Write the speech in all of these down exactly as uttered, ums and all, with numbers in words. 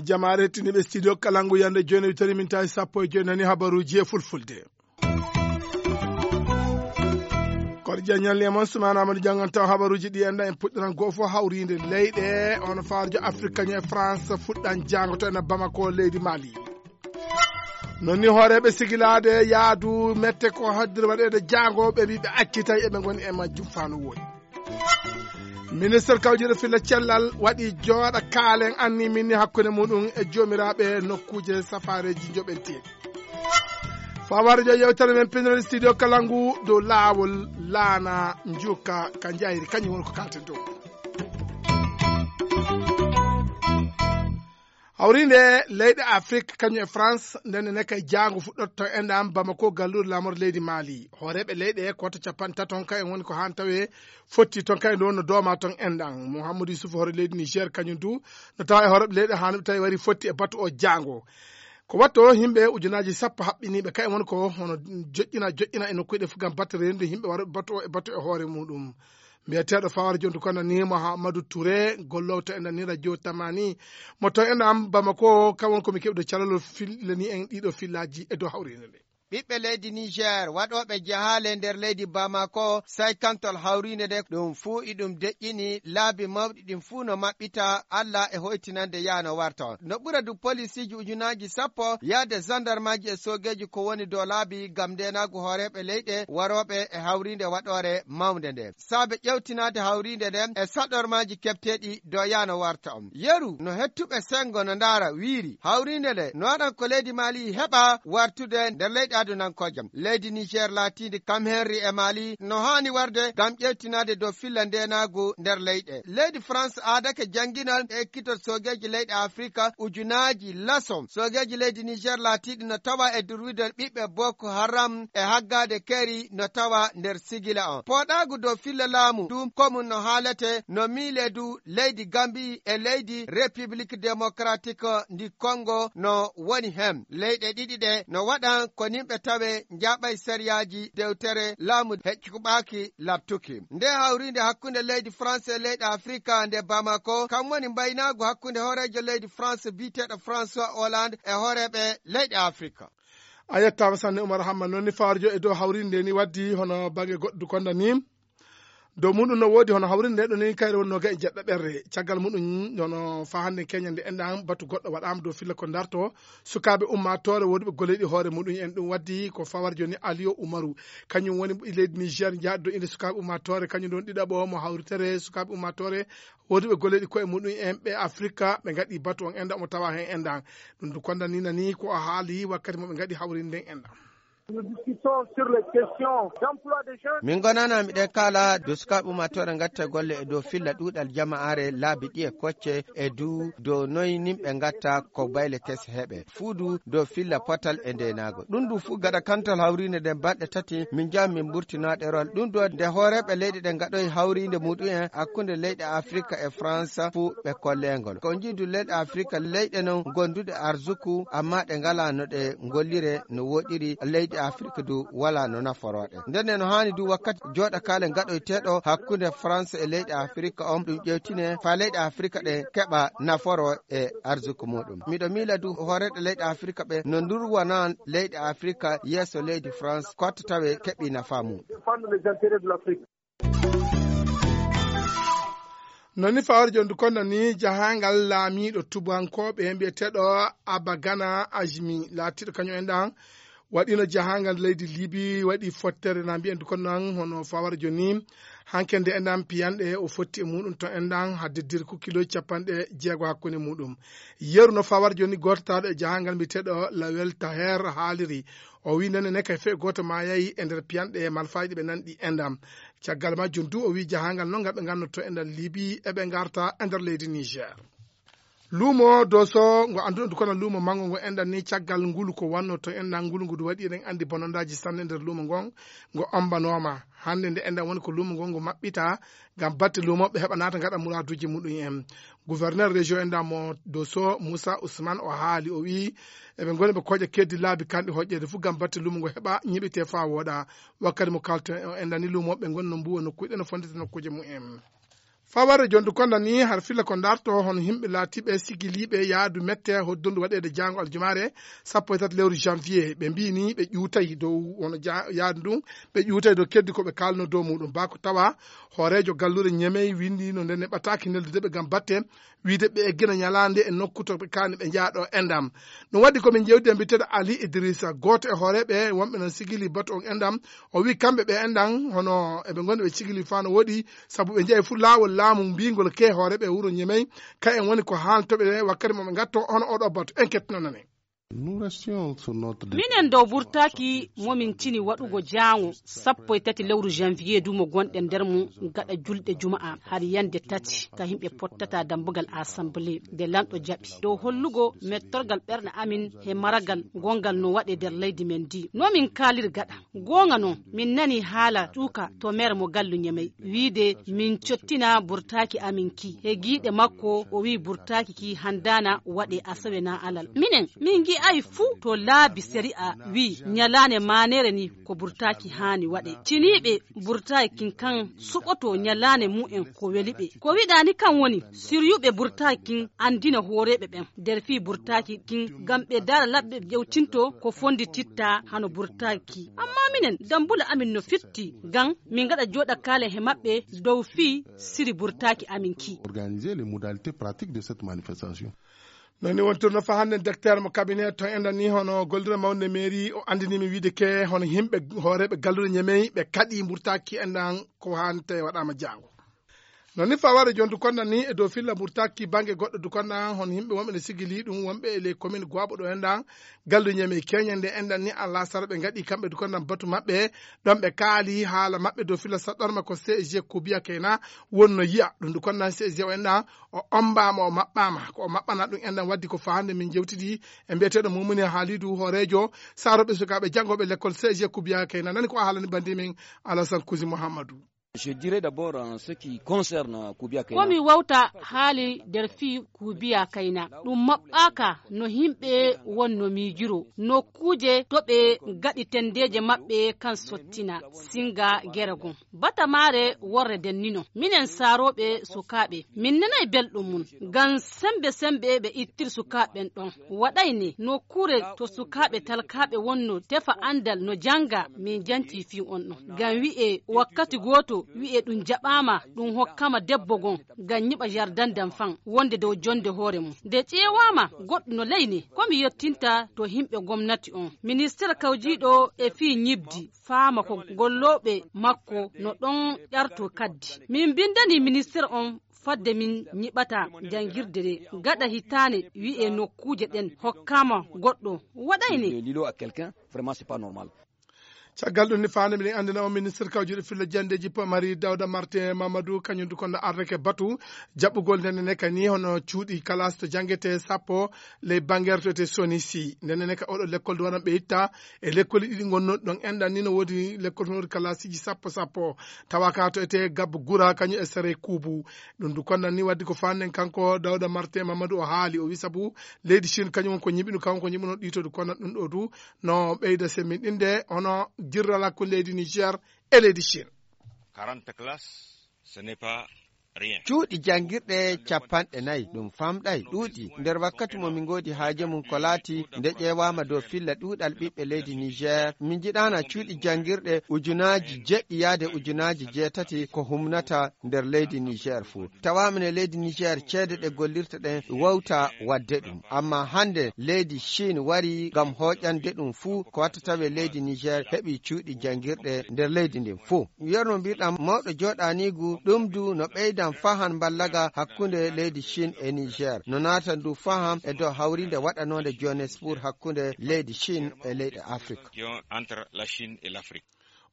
Jamaare hettiniiɓe studio Kalangu, yande jooni witari min tawi sappo e jooni nani habaruuji e fulfulde. Koɗo jañal e mon Sumaana Amadou Jangan taw habaruuji ɗi enɗan en puɗɗiran goo fof hawriinde leyɗe, on faarjo Afrique kañum e France fuɗɗan jaango to ena Bamako leydi Mali. Non ni hooreeɓe sigilaade yaadu mette ko haddiri waɗeede jaango ɓe mbi ɓe accitay eɓe ngoni e majjum faa no woodi. Ministre kawjiiɗo filla cellal waɗi jooɗa kaalen anni minni hakkunde muɗum e joomiraaɓe nokkuuje safaareeji joɓenteeɗi. Fawar jo yewtere men pinal studio Kalangu dow laawol laana njuka ka jayri kañum woni ko kalten dow. Hawriinde leyɗe Afrik kañum e France ndenne ne kay jaango fuɗɗotto enɗam Bamako galluure laamorde leydi Mali. Hooreeɓe leyɗe koto capanɗe taton kay en woni ko haan tawe fotti ton kay ndo no dooma ton enɗam. Mouhamadou Youssouf hoore leydi Niger kañum du no tawa e hooreeɓe leyɗe haan tawi wari fotti e batu o jaango. Ko watto yimɓe ujunaaji sappo haɓɓiniiɓe kay woni ko hono joƴƴina joƴƴina e nokkuuji ɗe fof ngam batte reenude yimɓe waroɓe batu o e batu e hoore muɗum. Mbiyeteeɗo Fawar Jondu kono ni Mouhamadou Touré, golloowo to enɗan ni radio Tamani, mo to enɗan Bamako, kam won ko mi keɓɗo calal o fillani en ɗiɗo fillaaji e dow hawriinde nde. Ɓiɓɓe leydi Niger waɗooɓe jahaale nder leydi Bamako, saykantol hawriinde nde, ɗum fuu iɗum deƴƴini laabi mawɗi ɗin fuu no maɓɓita Alla e hoytinande yaano warta on. No ɓura du polisiiji ujunaaji sappo yaade zandarmaaji e soogeeji ko woni dow laabi ngam ndeenaagu hooreeɓe leyɗe warooɓe e hawriinde waɗoore mawnde nde. Saabe ƴewtinaade hawriinde nden e saɗormaaji keɓteeɗi dow yaano warta on. Yeru no hettuɓe senngo no ndaara wiiri, hawriinde nde no waɗan ko leydi Mali heɓa wartude nder leyɗe adunankooje. Leydi Niger laatiindi kam henri e Mali no haani warde ngam ƴewtinaade dow filla ndeenaagu nder leyɗe. Leydi France aadake jannginol e ekkitol soogeeji leyɗe Afrika ujunaaji laso. Soogeeji leydi Niger laatiiɗi no tawa e durwidol ɓiɓɓe Boko Haram e haggaade keri no tawa nder sigila on. Pooɗaagu dow filla laamu ɗum ko mum no haalete no miile du leydi Gambi e leydi République Démocratique ndi Congo no woni hen. Leyɗe ɗiɗi ɗe no waɗan ko nimɓe tawe njaaɓay sariyaaji dewtere laamu heƴƴuɓaaki laɓtuki. Nde hawriinde hakkunde leydi France e leyɗe Afrika nde Bamako, kam woni mbaynaagu hakkunde hooreejo leydi France biyeteeɗo François Hollande e hooreeɓe leyɗe Afrika. A yettaama sanne Umar Hamma, noon ni fawarjo e dow hawriinde nde ni waddi hono baŋnge goɗɗo konda ni. Dow muɗum no woodi hono hawriinde nde ɗo ni kayre wonno ga e jeɗɗo ɓerre. Caggal muɗum hono faa hannde keñande enɗan batu goɗɗo waɗaama dow filla ko darto sukaaɓe ummaatoore woduɓe golleeɗi hoore muɗum en. Ɗum waddi ko fawarjo ni Aliyo Umaru. Kañum woni leydi Niger jaɗɗo inde sukaaɓe ummaatoore, kañum ɗon ɗiɗaɓo mo hawritere sukaaɓe ummaatoore woduɓe golleeɗi koye muɗum en ɓe Afrika, ɓe ngaɗi batu on enɗan omo tawa hen enɗan. Ɗum du konda ni nani ko o haali wakkati mo ɓe ngaɗi hawriinde nden enɗan. Nous discutons sur les questions d'emploi des jeunes. Min gonana miɗen kaala dow sukaaɓe ummaatoore ngatta golle e dow filla ɗuuɗal jama'aare laabi ɗi e kocce e du dow noy nimɓe ngatta ko bayle kese heɓe. Fuu du dow filla potal e ndeenaago. Ɗum du fuu gaɗa kantal hawriinde nden balɗe tati min njaha min mburtinaa ɗerol. Ɗum ɗo nde hooreeɓe leyɗe ɗen ngaɗoyi hawriinde muɗum en hakkunde leyɗe Afrika e France fuu ɓe kolleengol. Ko njiidu leyɗe Afrika leyɗe non gonduɗe arsuku amma ɗe ngalaa no ɗe ngollire no woɗiri leyɗe Afrika du walaa no naforoo ɗe. Ndenne no haani du wakkati jooɗakaale ngaɗoyteeɗo hakkunde France e leyɗe Afrika on ɗum ƴewtine faa leyɗe Afrika ɗe keɓa naforoo e arsuku muɗum. Miɗo miila du hooreeɓe leyɗe Afrika ɓe no ndurwana leyɗe Afrika yeeso leydi France kotta tawe keɓi nafaa mum. Défendre les intérêts de l'Afrique. Non ni fawar jondu kono ni jahangal laamiiɗo tubankooɓe mbiyeteeɗo Abagana Ajmi laatiiɗo kañum en ɗan waɗino jahangal leydi Libi waɗi fottere na mbiyen du kono nan hono fawar joni hanke nde enɗan piyanɗe o fotti e muɗum to enɗan hadde dirku kilo capanɗe jeego hakkunde muɗum. Yeru no fawar joni goototaaɗo e jahangal mbiyeteeɗo Lawel Taher haaliri. O wi nene ne kay fe gooto maayayi e nder piyanɗe malfaaji ɗe ɓe nanɗi enɗan. Caggal majjum du o wi jahangal noon ngal ɓe nganndoto enɗan Libi eɓe ngarta e nder leydi Niger. Luumo Doso ngo annduɗon du kono luumo manngo ngo enɗan ni caggal ngulu ko wannoo to enɗan ngulu ngu du waɗi eɗen anndi bonondaaji sanne nder luumo ngon ngo ombanooma. Hannde nde enɗan woni ko luumo ngon ngo maɓɓita ngam batte luumooɓe heɓa naata ngaɗa muraaduuji muɗum en. Gouverneur région enɗan mo Doso Moussa Ousmane o haali o wi'i eɓe ngoni ɓe koƴa keddi laabi kanɗi hoƴƴeede fof ngam batte luumo ngo heɓa ñiɓitee faa wooɗa. Wakkati mo kalten o enɗan ni luumooɓe ngon no mbuuwa nokkuuje ɗe no fonndita nokkuuje mumen. Faware jondu konda ni har filla ko darto hono himɓe laatiɓe sigiliɓe yaadu mette hoddundu waɗede jango aljumaare sappo e tati lewru janvier ɓe mbini ɓe ƴuutay dow hono ja- yaadu ndun ɓe ƴuutay dow keddi ko ɓe kalno dow muɗum bako tawa hoorejo gallure ñemey windi no nde neɓataki neldudeɓe gam batte wiide ɓe eggina ñalande e nokku to ɓe kani ɓe jaaɗo endam. Ɗum waɗi komin jewdi e mbiteɗo Ali Idrissa goto e hooreɓe wonɓe non sigili batu on endam. O wi kamɓe ɓe enɗan hono eɓe goni ɓe cigili fa no woɗi sabu ɓe jeeyi fuu laawol laamu mbingol ke hooreɓe wuro ñemey. Ka en woni ko haaltoɓe wakkati moɓe gatto hono oɗo batu en kettinonane. Minen dow burtaaki momin cini waɗugo jaango sappo e tati lewru janvier du mo gonɗen nder mum gaɗa julɗe juma'a har yande tati ka himɓe pottata dambugal assemblée nde lanɗo jaɓi dow hollugo mettorgal ɓerɗe amin he maragal gongal no waɗe nder leydi men ndi nomin kaalir gaɗa. Goonga non min nani haala tuuka to meer mo gallu ñemey wiide min cottina burtaaki amin ki he giiɗe makko o wii burtaaki ki handaana waɗe asawe na alal minen min ngi'ay fuu to laabi sari'a wii ñalaande maaneere ni ko burtaaki haani waɗe ciniiɓe burtaaki kin kan suɓoto ñalaande mumen ko weli ɓe ko wiɗaani kan woni siryuɓe burtaaki kin anndina hooreeɓe ɓen nder fii burtaaki kin ngam ɓe dara laɓɓe ƴewtinto ko fonndititta hano burtaaki. Amma minen, dammbule amin no fitti, ngam min ngaɗa jooɗakaale he maɓɓe dow fii siri burtaaki amin kii. Organiser les modalités pratiques de cette manifestation. Noon ni wontirno fa hannden dekteer mo kabinet to enɗan ni hono gollirde mawnde mairie o anndinii mi wiide ke hono yimɓe hooreeɓe galluure ñemey ɓe kaɗii mburtaaki enɗan ko haani tawi waɗaama jaango. Noon ni faware jooni dukonda ni e dow filla mburtaaki bannge goɗɗo dukonda hono yimɓe wonɓe ne sigili ɗum wonɓe e ley commune gooɓo ɗo enɗan galluure ñemey keñe nde enɗan ni alasara ɓe ngaɗi kamɓe dukonda batu maɓɓe ɗon ɓe kaali haala maɓɓe dow filla saɗɗorma ko cg kubiya keyna wonno yiya ɗum dukonda cg o enɗan o ombaama o maɓɓaama ko o maɓɓana ɗum enɗan waddi ko faande min jewtidi e mbiyeteeɗo mumuni haalidu hooreejo saroɓe sukaaɓe janngooɓe lekkol cg kubiya keyna nani ko o haalani bandi min alasan kusi mouhammadou. Je dirais d'abord en ce qui concerne Koubiaka. Komi wawta haali nder fii kuubiya kayna ɗum maɓɓaaka no yimɓe wonno miijiro nokkuuje to ɓe ngaɗi tendeeje maɓɓe kan sottina singa gere gon batamaare worre dennino minen saarooɓe sukaaɓe min nanay belɗum mum ngam sembe sembe ɓe ittir sukaaɓe ɓen ɗon waɗay ne nokkuure to sukaaɓe talkaaɓe wonno tefa anndal no jannga min janci fii on ɗon ngam wi'e wakkati gooto wi'e ɗum jaɓaama ɗum hokkama debbo gon ngam nyiɓa jardin d'enfant wonde dow jonde hoore mum nde ƴeewaama goɗɗo no ley ne ko mi yettinta to yimɓe gomnati on minister kawjiiɗo e fii ñibdi faama ko gollooɓe makko no ɗon ƴarto kaddi min mbinndani minister on fadde min nyiɓata janngirde nde gaɗa hitaande wi'e nokkuuje ɗen hokkama goɗɗo waɗay ne. Lilo à quelqu'un vraiment c'est pas normal. Caggal ɗum ni faande miɗen anndina on ministre kawjuɗo filla jandeji mari dawda martin mamadou kañum du kono ardeke batu jaɓɓugol ndene ne kani hono cuuɗi kalas to janngete sappo ley bangertote soni si ndene ne ka oɗo lekkol duwanan ɓe itta e lekkoli ɗiɗi gonno ɗon enɗan ni no woodi lekkol to woodi kalasiji sappo sappo tawa ka to ete gabbo gura kañum e sere kuubu. Ɗum du konnan ni waddi ko faanden kanko dawda martin mamadou o haali o wi sabu leydi chine kañum ko ñiɓino kanko ko ñiɓino ɗito du konnan ɗum ɗo du no ɓeyda semminɗinde hono jirral hakkunde leydi niger e leydi chine. Quarante classes ce n'est pas rien. Cuuɗi janngirɗe capanɗe nayi ɗum famɗay ɗuuɗi nder wakkati mo min ngoodi haaje mum ko laati nde ƴeewaama dow filla ɗuuɗal ɓiɓɓe leydi niger min njiɗaana cuuɗi janngirɗe ujunaaji jeɗɗi yaade ujunaaji jeetati ko humnata nder leydi niger fuu. Tawaama ne leydi niger ceede ɗe gollirta ɗen wawta waɗde ɗum amma hannde leydi chine wari ngam hooƴande ɗum fuu ko watta tawe leydi niger heɓi cuuɗi janngirɗe nder leydi ndin fuu. Yerno mbirɗam mawɗo jooɗaniigu ɗum du no ɓeydan fahan mballaga hakkunde leydi chine e niger no naatan du faham e dow hawrinde waɗanoonde johannesburg hakkunde leydi chine e leyɗe afrique. Entre la chine et l'afrique.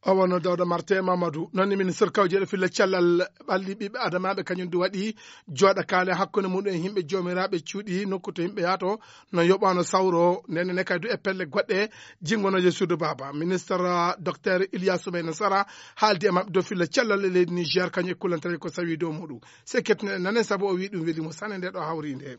O wonno Dawda Marte Mamadou. Noon ni, ministre kawjeeɗo filla cellal ɓalli ɓiɓɓe adamaaɓe, kañum du waɗi jooɗa kaale hakkunde muɗum e yimɓe joomiraaɓe cuuɗi nokku to yimɓe yahto, no yoɓano sawro, ndenne ne kadi du e pelle goɗɗe jingonooje suudu baaba. Ministre, ah, docteur Iliya Soumeyna Sara haaldi e maɓɓe dow filla cellal e leydi Niger, kañum e kulantareeji ko sawi dow muɗum. Se kettinen nane, sabu o wi ɗum weli mo sanne nde ɗo hawri nde.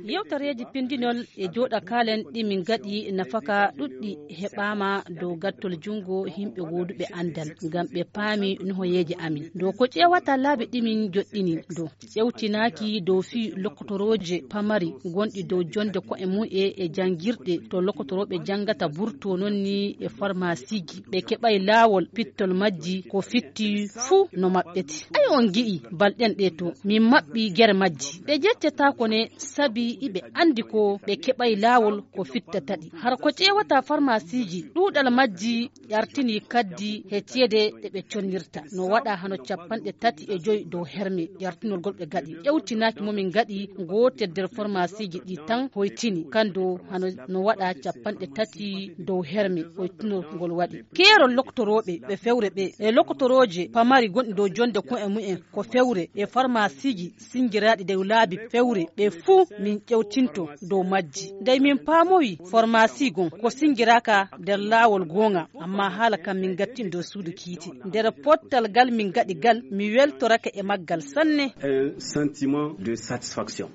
Yewtareeji pindinol e jooɗa kaalen ɗi min gaɗi nafaka ɗuɗɗi heɓaama dow gattol junngo yimɓe gooduɓe anndal, ngam ɓe paami nuhoyeeje amin. Dow ko ƴeewata laabi ɗi min joɗɗini dow, ƴewtinaaki dow fii lokkotorooje pamari gonɗi dow jonde ko'e mum e, e janngirɗe to lokkotorooɓe janngata burto, noon ni e farmasiiji. Ɓe keɓay laawol pittol majji, ko fitti fuu no maɓɓete. Ay, on ngi'i balɗen ɗe to min maɓɓi gere majji. Ɓe jeccetaako ne sabi iɓe anndi ko ɓe keɓay laawol ko fitta taɗi. Har ko ƴeewata farmasiiji, ɗuuɗal majji ƴartini kaddi he ceede ɗe ɓe connirta. No waɗa hano capanɗe tati e joy dow herme ƴartinol gol ɓe gaɗi. Ƴewtinaaki mo min gaɗi gootel nder farmasiiji ɗi tan hoytini. Kando hano no waɗa capanɗe tati dow herme hoytinol ngol waɗi. Keerol loktorooɓe ɓe fewre ɓe e loktorooje pamari gonɗi dow jonde ko'e mumen ko fewre e farmasiiji sinjiraaɗi dow laabi fewre ɓe fuu min ƴewtinto dow majji. Ndey min paamowi farmasi gon ko sinjiraaka nder laawol goonga, amma haala kam min gattin dow suudu kiite. Nder pottal gal min gaɗi gal, mi weltorake e maggal sanne. Un sentiment de satisfaction.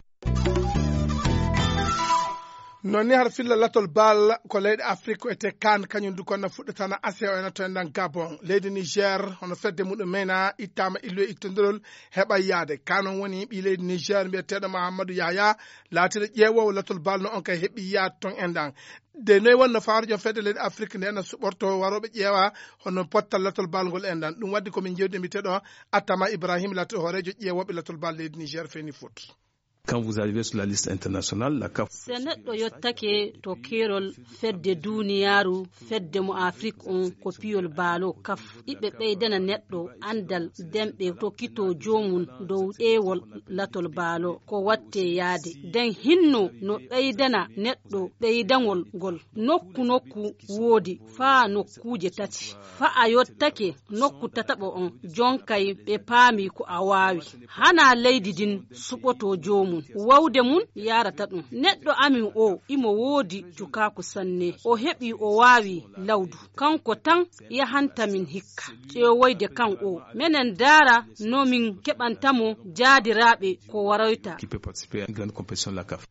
Noon ni har filla latol bal ko leyɗe Afrik ko etee kaan, kañum du ko na fuɗɗatana A C O ena to enɗan Gabon. Leydi Niger, hono fedde muɗum mena ittaama illu e ittondirol heɓa yaade. Kaan on woni ɓii leydi Niger mbiyeteeɗo Mahamadou Yahya, laatiiɗo ƴeewoowo latol bal no on kay heɓi yaade toon enɗan. De noy wonno fawarjo fedde leyɗe Afrik nde ena suɓorto warooɓe ƴeewa hono pottal latol bal ngol enɗan. Ɗum waddi ko min jewdi e mbiyeteeɗo Atama Ibrahim, laatiiɗo hooreejo ƴeewooɓe latol bal leydi Niger Feni Foot. Quand vous arrivez sur la liste internationale, la CAF. Se neɗɗo yottake to keerol fedde duuniyaaru, fedde mo Afrik on ko piyol baalo kaf. Iɓe ɓeydana neɗɗo anndal, nden ɓe tokkitoo joomum dow ƴeewol latol baalo ko wattee yaade. Nden hinno no ɓeydana neɗɗo ɓeydangol ngol. Nokku nokku woodi faa nokkuuje tati. Faa a yottake nokku tataɓo on, jonkay ɓe paami ko a waawi. Hanaa leydi ndin suɓotoo joomum, wawde mum yaarata ɗum. Neɗɗo amin o, imo woodi cukaaku sanne. O heɓi o waawi lawdu. Kanko tan yahanta min hikka. Ƴeewoyde kan o, menen ndaara no min keɓanta mo jaadiraaɓe ko waroyta. Qui peut participer à une grande compétition de la CAF.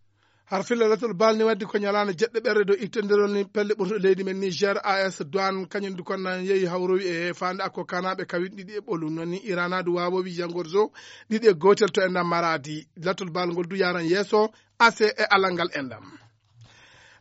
Har filla latol bal ni waddi ko ñalaande jeɗɗo ɓerɗe dow ittondirol ni pelle ɓurtuɗe leydi men Niger, A S Douane, kañum du kon nan yehi hawrowi e faande akko kanaaɓe kawin ɗiɗi e ɓolu. Noon ni Irana du waawowi jangorzo ɗiɗi e gootel to enɗan Maradi. Latol bal ngol du yaran yeeso, A C e alal ngal enɗan.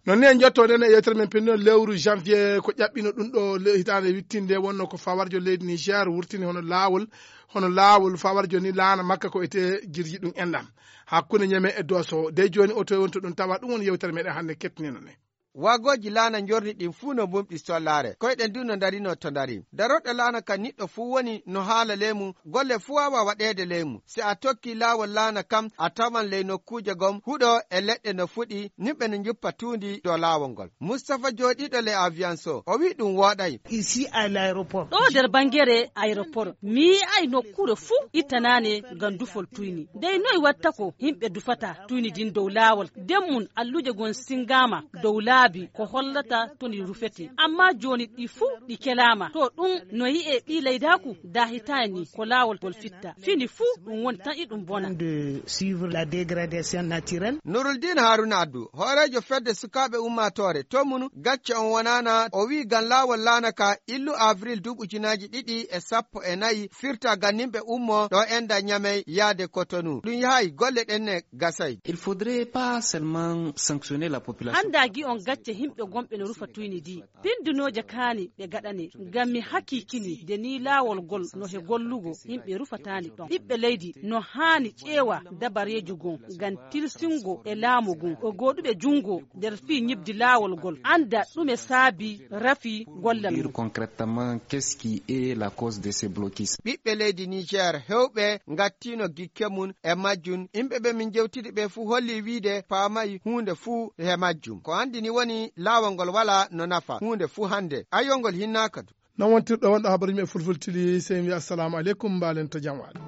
Noon ni en njotto nden e yewtere men pinno lewru janvier ko ƴaɓɓino ɗum ɗo le-, hitaande wittinde wonno ko fawarjo leydi Niger wurtini hono laawol, hono laawol fawarjo ni laana makka ko etee jirji ɗum enɗan. Hakkunde Ñeme e Dooso, dey jooni o toye woni to ɗum tawa, ɗum woni yewtere meɗen hannde kettinino ne. Wagooji laana njorni ɗin fuu no mbumɗi sollaare. Koyɗen du no ndarino to ndari. Darorɗo laana kan niɗɗo fuu woni no haala leymu, golle fuu waawa waɗeede leymu. Si a tokki laawol laana kan, a tawan ley nokkuuje gom huɗo e leɗɗe no fuɗi, nimɓe no njuppa tuundi dow laawol ngol. Mustapha jooɗiiɗo ley avion so, o wi'i ɗum wooɗay. Ici à l'aéroport. Ɗo nder banngere aéroport, mi yi'ay nokkuure fuu ittanaane ngam dufol tuyni. Dey noy watta ko yimɓe dufata tuyni din dow laawol? Den mum alluuje gon singaama dow laabi ko hollata to ndi rufete. Amma jooni ɗi fuu ɗi kelaama. To ɗum no yi'e ɓii leydaaku daahitaani ko laawol ngol fitta. Fini fuu ɗum woni tan iɗum bona. De suivre la dégradation naturelle. Nuruldin Haruna Addu, hooreejo fedde sukaaɓe ummaatoore to mum gacce on wonaana, o wi'i ngam laawol laana ka illu avril duuɓi ujunaaji ɗiɗi e sappo e nayi firta ngam nimɓe ummo ɗo enda Ñamey yaade Kotonu. Ɗum yahay golle ɗen ne gasay. Il faudrait pas seulement sanctionner la population. Hanndaa gi on gacce yimɓe gonɓe no rufa tuyni di. Pindunooje kaani ɓe gaɗane, ngam mi hakiikini de ni laawol gol no he gollugo, yimɓe rufataani ɗon. Ɓiɓɓe leydi no haani ƴeewa dabareejo gon, ngam tilsingo e laamu gon, o gooduɓe junngo nder fii ñibdi laawol gol, annda ɗume saabi rafi gollal mum. Dire concrètement, qu'est-ce qui est la cause de ces blocus? Ɓiɓɓe leydi Niger hewɓe ngattiino gikke mum e majjum. Yimɓe ɓe min jewtidi ɓe fuu holli wiide paamay huunde fuu he majjum. Ko anndi ni woni Laawol ngol walaa no nafa huunde fuu hannde, ayyo ngol hinnaaka du. Non wontirɗo wonɗo habaruuji men fulfultili, sey en wiya assalamu aleykum, mbaalen to jam waali.